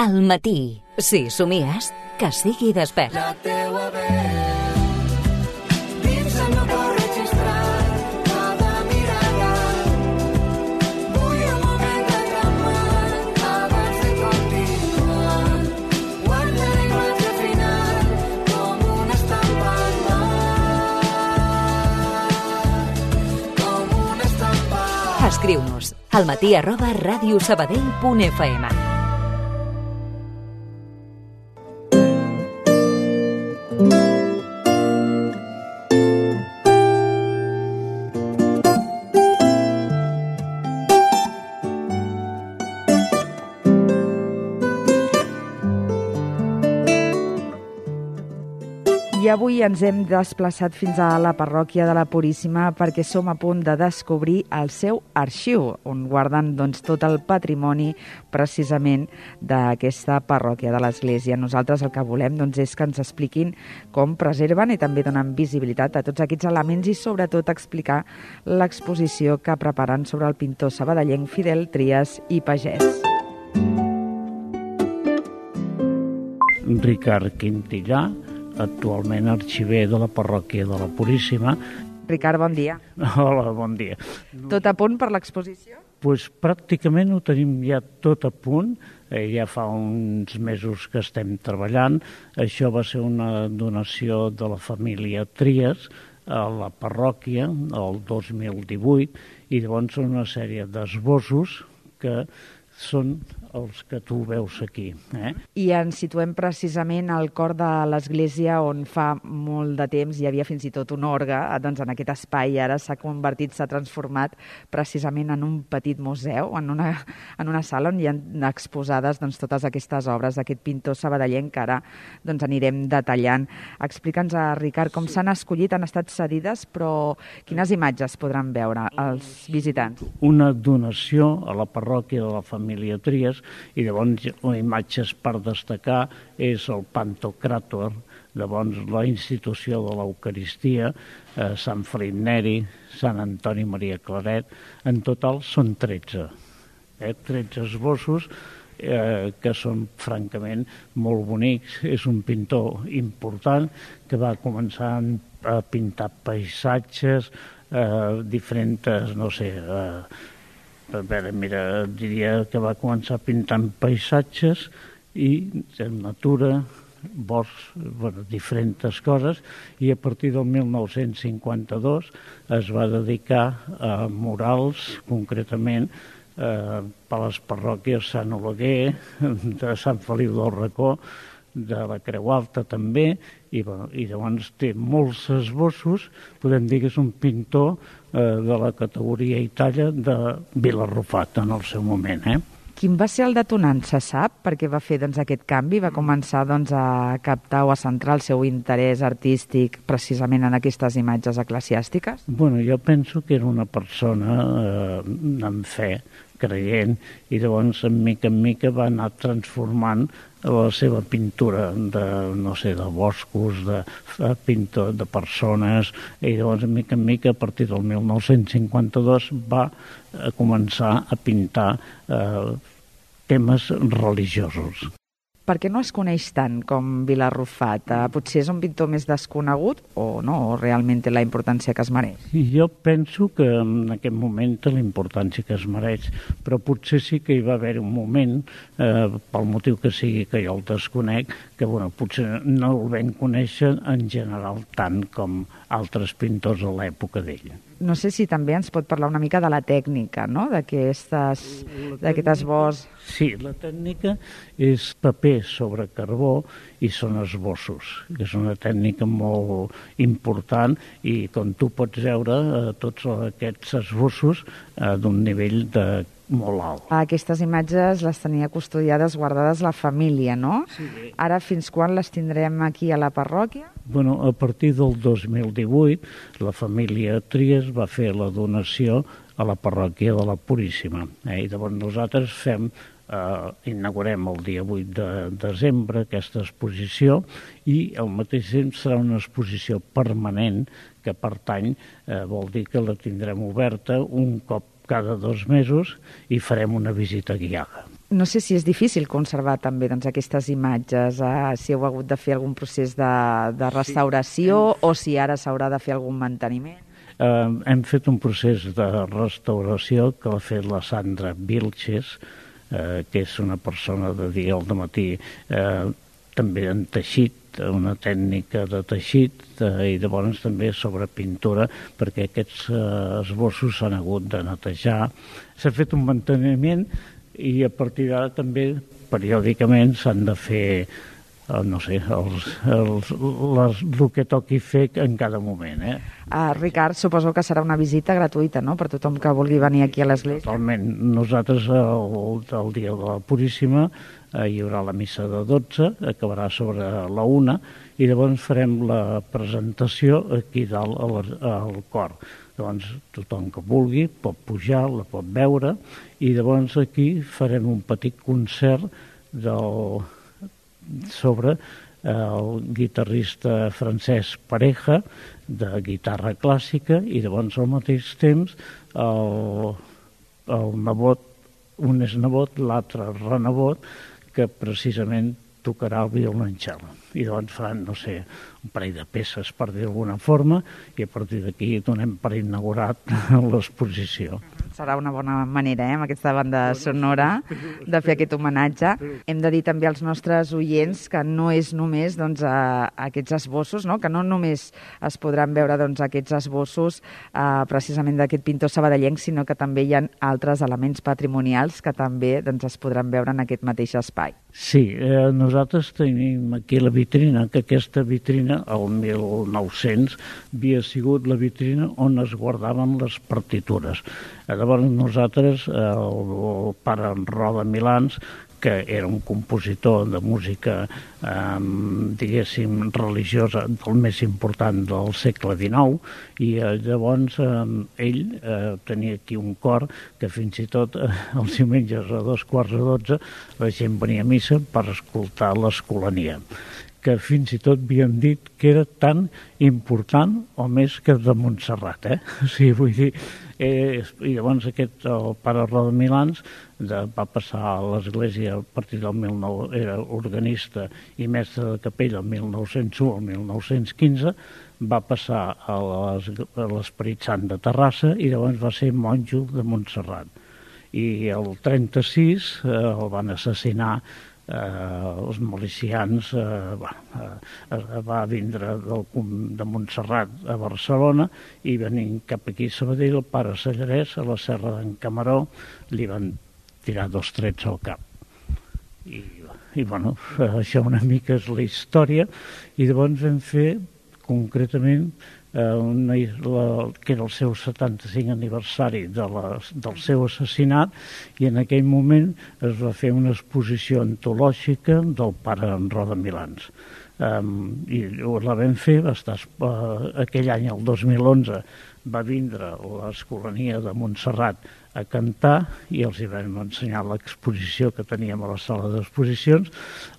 Al matí. Si somies, que sigui despert. La teua veu dins el meu cor registrat, cada mirada. Vull un moment de calmar abans de continuar. Guarda la imatge final com una estampa al mar, com una estampa. Escriu-nos almatí@radiosabadell.fm. I avui ens hem desplaçat fins a la parròquia de la Puríssima perquè som a punt de descobrir el seu arxiu, on guarden tot el patrimoni precisament d'aquesta parròquia de l'Església. Nosaltres el que volem és que ens expliquin com preserven i també donen visibilitat a tots aquests elements i sobretot explicar l'exposició que preparen sobre el pintor sabadellenc Fidel Trias i Pagès. Ricard Quintillà, actualment arxiver de la parròquia de la Puríssima. Ricard, bon dia. Hola, bon dia. Tot a punt per l'exposició? Pues pràcticament ho tenim ja tot a punt. Ja fa uns mesos que estem treballant. Això va ser una donació de la família Trias a la parròquia el 2018 i llavors són una sèrie d'esbossos que són els que tu veus aquí. I ens situem precisament al cor de l'església on fa molt de temps hi havia fins i tot un orgue, en aquest espai ara s'ha convertit, s'ha transformat precisament en un petit museu, en una sala on hi ha exposades totes aquestes obres d'aquest pintor sabadellenc que ara anirem detallant. Explica'ns, Ricard, com s'han escollit, han estat cedides, però quines imatges podran veure els visitants? Una donació a la parròquia de la família Trias i llavors imatges per destacar és el Pantocràtor, llavors la institució de l'Eucaristia, Sant Felip Neri, Sant Antoni Maria Claret, en total són 13. 13 esbossos que són francament molt bonics. És un pintor important que va començar a pintar paisatges, diferents, no sé, diria que va començar pintant paisatges i natura, boscs, diferents coses, i a partir del 1952 es va dedicar a murals, concretament per les parròquies Sant Oleguer, de Sant Feliu del Racó, de la Creu Alta també, i llavors té molts esbossos. Podem dir que és un pintor de la categoria i talla de Vilarrufat en el seu moment. Quin va ser el detonant, se sap? Perquè va fer aquest canvi, va començar a captar o a centrar el seu interès artístic precisament en aquestes imatges eclesiàstiques? Jo penso que era una persona amb fe, creient, i llavors, en mica, va anar transformant la seva pintura de boscos, de pintor de persones, i llavors, en mica, a partir del 1952, va començar a pintar temes religiosos. Per què no es coneix tant com Vilarrufat? Potser és un pintor més desconegut o no? O realment té la importància que es mereix? Jo penso que en aquest moment té la importància que es mereix, però potser sí que hi va haver un moment, pel motiu que sigui que jo el desconec, que potser no el vam conèixer en general tant com altres pintors a l'època d'ell. No sé si també ens pot parlar una mica de la tècnica, no?, d'aquest esbós. Sí, la tècnica és paper sobre carbó i són esbossos, que és una tècnica molt important i, com tu pots veure, tots aquests esbossos d'un nivell molt alt. Aquestes imatges les tenia custodiades, guardades la família, no? Sí. Ara fins quan les tindrem aquí a la parròquia? A partir del 2018 la família Trias va fer la donació a la parròquia de la Puríssima. I llavors nosaltres inaugurem el dia 8 de desembre aquesta exposició i al mateix temps serà una exposició permanent que pertany, vol dir que la tindrem oberta un cop cada 2 mesos i farem una visita guiada. No sé si és difícil conservar també doncs, aquestes imatges, si heu hagut de fer algun procés de restauració o si ara s'haurà de fer algun manteniment. Hem fet un procés de restauració que l'ha fet la Sandra Vilches, que és una persona de dia al matí, també en teixit, una tècnica de teixit, i llavors també sobre pintura, perquè aquests esbossos s'han hagut de netejar. S'ha fet un manteniment i a partir d'ara també periòdicament s'han de fer no sé, el que toqui fer en cada moment. Ricard, suposo que serà una visita gratuïta, no?, per tothom que vulgui venir aquí a l'església. Totalment. Nosaltres, el dia de la Puríssima, hi haurà la missa de 12, acabarà sobre la 1, i llavors farem la presentació aquí dalt al cor. Llavors, tothom que vulgui pot pujar, la pot veure, i llavors aquí farem un petit concert sobre el guitarrista Francesc Pareja, de guitarra clàssica, i llavors al mateix temps el nebot, un és nebot, l'altre renebot, que precisament tocarà el violoncel. I llavors faran, no sé, un parell de peces, per dir d'alguna forma, i a partir d'aquí donem per inaugurat l'exposició. Serà una bona manera, amb aquesta banda sonora, de fer aquest homenatge. Hem de dir també als nostres oients que no és només aquests esbossos, no? Que no només es podran veure aquests esbossos precisament d'aquest pintor sabadellenc, sinó que també hi ha altres elements patrimonials que també es podran veure en aquest mateix espai. Sí, nosaltres tenim aquí la vitrina, que aquesta vitrina, el 1900, havia sigut la vitrina on es guardaven les partitures. Llavors nosaltres, el pare Roda Milans, que era un compositor de música, diguéssim, religiosa del més important del segle XIX, i llavors ell tenia aquí un cor que fins i tot els diumenges a 11:45 la gent venia a missa per escoltar l'Escolania, que fins i tot havien dit que era tan important o més que de Montserrat, O sigui, vull dir, i llavors el pare Roda Milans va passar a l'església a partir del 19... era organista i mestre de capella el 1901 al 1915, va passar a l'Esperit Sant de Terrassa i llavors va ser monjo de Montserrat. I el 36 el van assassinar els milicians, va vindre de Montserrat a Barcelona i venint cap aquí a Sabadell, el pare Sallarès, a la serra d'en Camaró, li van tirar 2 trets al cap. I bueno, això una mica és la història, i llavors vam fer concretament que era el seu 75 aniversari del seu assassinat, i en aquell moment es va fer una exposició antològica del pare Roda Milans. I la vam fer, va estar aquell any, el 2011, va vindre l'Escolania de Montserrat a cantar i els hi vam ensenyar l'exposició que teníem a la sala d'exposicions,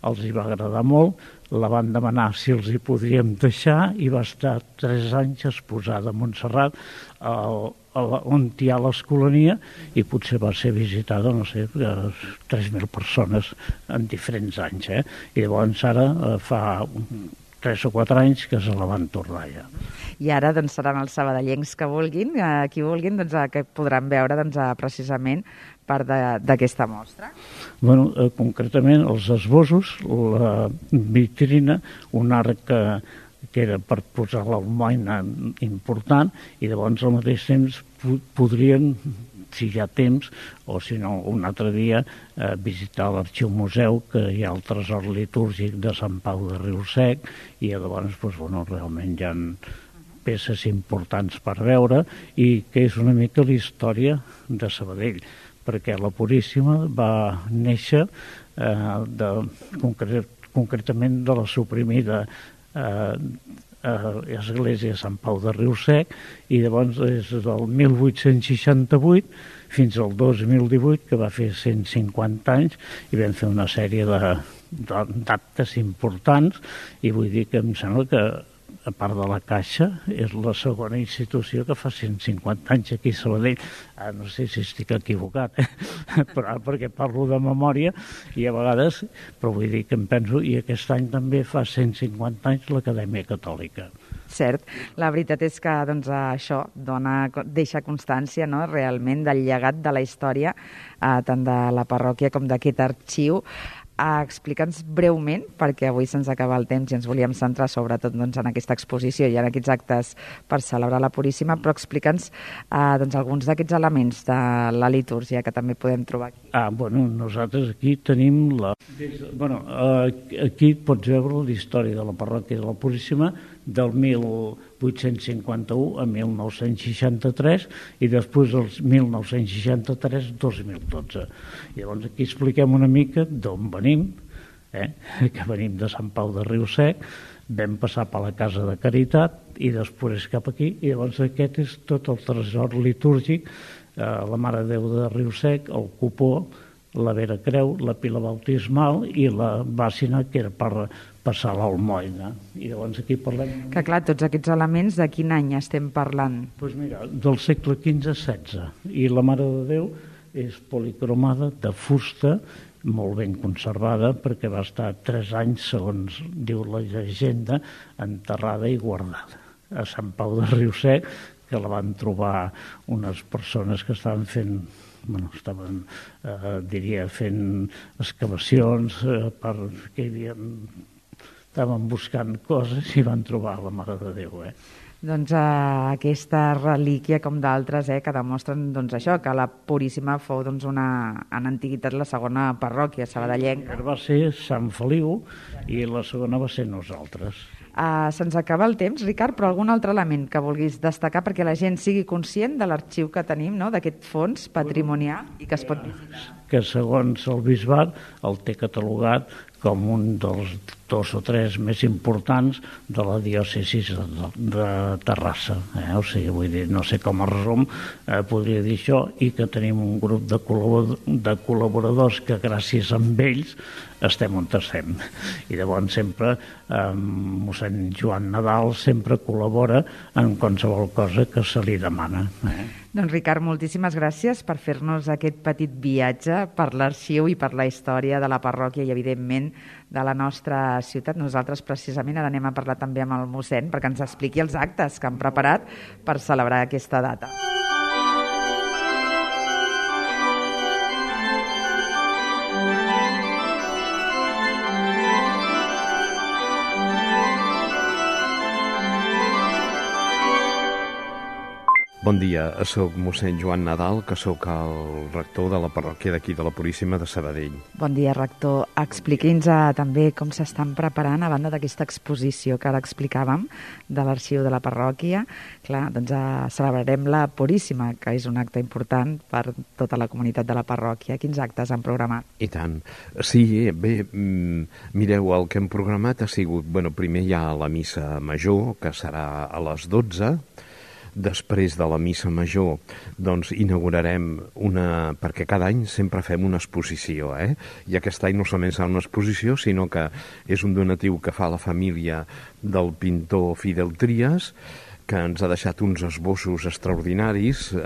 els hi va agradar molt, la van demanar si els hi podríem deixar i va estar 3 anys exposada a Montserrat, on hi ha l'Escolania, i potser va ser visitada, no sé, 3.000 persones en diferents anys. I llavors ara fa 3 o 4 anys que se la van tornar ja. I ara seran els sabadellencs que vulguin, qui vulguin, que podran veure precisament part d'aquesta mostra. Bueno, concretament els esbossos, la vitrina, un arc que era per posar l'almoina important, i llavors al mateix temps podrien, si hi ha temps, o si no un altre dia, visitar l'Arxiu Museu, que hi ha el tresor litúrgic de Sant Pau de Riu-sec, i llavors realment hi ha peces importants per veure, i que és una mica la història de Sabadell, perquè la Puríssima va néixer concretament de la suprimida església de Sant Pau de Riu-sec, i llavors és del 1868 fins al 2018, que va fer 150 anys, i vam fer una sèrie d'actes importants, i vull dir que em sembla que a part de la Caixa, és la segona institució que fa 150 anys aquí a Sabadell. No sé si estic equivocat, però perquè parlo de memòria i a vegades, però vull dir que em penso, i aquest any també fa 150 anys l'Acadèmia Catòlica. Cert. La veritat és que doncs, això deixa constància, no?, realment del llegat de la història, tant de la parròquia com d'aquest arxiu. Explica'ns breument, perquè avui se'ns acaba el temps i ens volíem centrar sobretot doncs, en aquesta exposició i en aquests actes per celebrar la Puríssima, però explica'ns doncs, alguns d'aquests elements de la litúrgia que també podem trobar aquí. Bueno, nosaltres aquí tenim aquí pots veure la història de la parròquia de la Puríssima del 1851 a 1963 i després del 1963-2012. Llavors aquí expliquem una mica d'on venim, que venim de Sant Pau de Riu-sec, vam passar per la Casa de Caritat i després cap aquí, i llavors aquest és tot el tresor litúrgic, la Mare de Déu de Riu-sec, el cupó, la Vera Creu, la pila bautismal i la bàssina, que era per passar l'almoina. I llavors aquí parlem... Que clar, tots aquests elements, de quin any estem parlant? Doncs mira, del segle XV-XVI. I la Mare de Déu és policromada, de fusta, molt ben conservada, perquè va estar 3 anys, segons diu la llegenda, enterrada i guardada a Sant Pau de Riu-sec, que la van trobar unes persones que estaven fent... fent excavacions perquè estaven buscant coses i van trobar la Mare de Déu. Doncs aquesta relíquia, com d'altres, que demostren doncs, això, que la Puríssima fou doncs, en antiguitat la segona parròquia sabadellenca. Va ser Sant Feliu i la segona va ser nosaltres. Se'ns acaba el temps, Ricard, però algun altre element que vulguis destacar perquè la gent sigui conscient de l'arxiu que tenim, no?, d'aquest fons patrimonial i que es pot visitar. Que segons el bisbat el té catalogat com un dels 2 o 3 més importants de la diòcesi de Terrassa. O sigui, vull dir, no sé com a resum podria dir això, i que tenim un grup de col·laboradors que gràcies a ells estem on estem. I llavors sempre mossèn Joan Nadal sempre col·labora en qualsevol cosa que se li demana. Doncs Ricard, moltíssimes gràcies per fer-nos aquest petit viatge per l'arxiu i per la història de la parròquia i, evidentment, de la nostra ciutat. Nosaltres, precisament, ara anem a parlar també amb el mossèn perquè ens expliqui els actes que han preparat per celebrar aquesta data. Bon dia, soc mossèn Joan Nadal, que sóc el rector de la parròquia d'aquí de la Puríssima de Sabadell. Bon dia, rector. Expliqui'ns també com s'estan preparant a banda d'aquesta exposició que ara explicàvem de l'arxiu de la parròquia. Clar, doncs celebrarem la Puríssima, que és un acte important per tota la comunitat de la parròquia. Quins actes han programat? I tant. Sí, bé, mireu, el que hem programat ha sigut, primer hi ha la missa major, que serà a les 12. Després de la missa major, doncs inaugurarem perquè cada any sempre fem una exposició, i aquest any no solament serà una exposició, sinó que és un donatiu que fa la família del pintor Fidel Trias, que ens ha deixat uns esbossos extraordinaris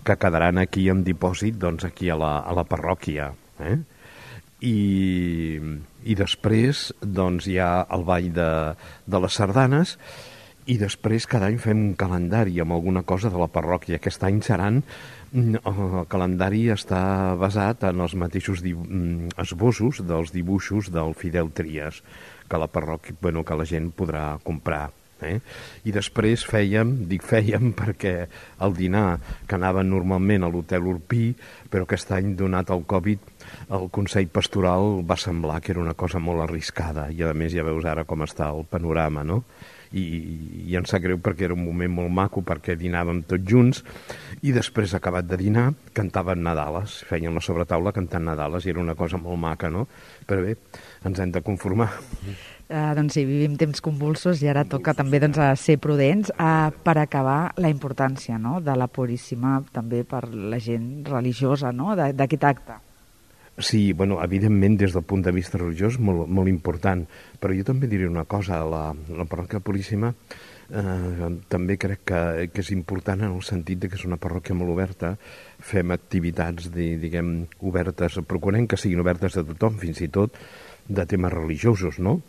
que quedaran aquí en dipòsit, doncs aquí a la parròquia. I després doncs hi ha el ball de les sardanes. I després cada any fem un calendari amb alguna cosa de la parròquia. Aquest any el calendari està basat en els mateixos esbossos dels dibuixos del Fidel Trias, que la parròquia, que la gent podrà comprar. I després fèiem perquè el dinar que anava normalment a l'Hotel Urpí, però aquest any, donat el Covid, el Consell Pastoral va semblar que era una cosa molt arriscada, i a més ja veus ara com està el panorama, no? I em sap greu perquè era un moment molt maco, perquè dinàvem tots junts, i després, acabat de dinar, cantaven Nadales, feien la sobretaula cantant Nadales, i era una cosa molt maca, no? Però bé, ens hem de conformar. Doncs sí, vivim temps convulsos i ara toca també ser prudents. Per acabar, la importància de la Puríssima també per la gent religiosa d'aquest acte. Sí, bueno, evidentment, des del punt de vista religiós, molt important. Però jo també diré una cosa, la parròquia Puríssima també crec que és important en el sentit de que és una parròquia molt oberta, fem activitats, diguem, obertes, procurem que siguin obertes a tothom, fins i tot de temes religiosos, no?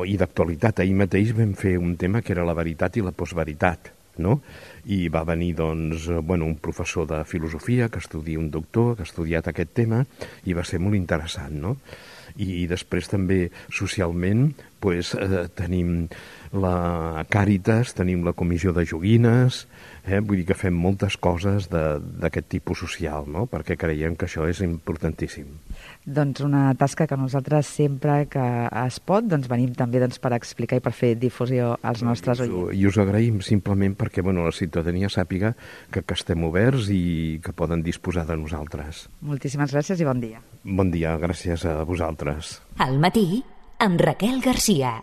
I d'actualitat. Ahir mateix vam fer un tema que era la veritat i la postveritat, no? I va venir, doncs, un professor de filosofia que estudia un doctor, que ha estudiat aquest tema, i va ser molt interessant, no? I després també socialment tenim la Càritas, tenim la comissió de joguines, vull dir que fem moltes coses d'aquest tipus social, no? Perquè creiem que això és importantíssim. Doncs una tasca que nosaltres sempre que es pot venim també per explicar i per fer difusió als nostres oients. I us agraïm simplement perquè la ciutadania sàpiga que estem oberts i que poden disposar de nosaltres. Moltíssimes gràcies i bon dia. Bon dia, gràcies a vosaltres. Al matí, amb Raquel Garcia.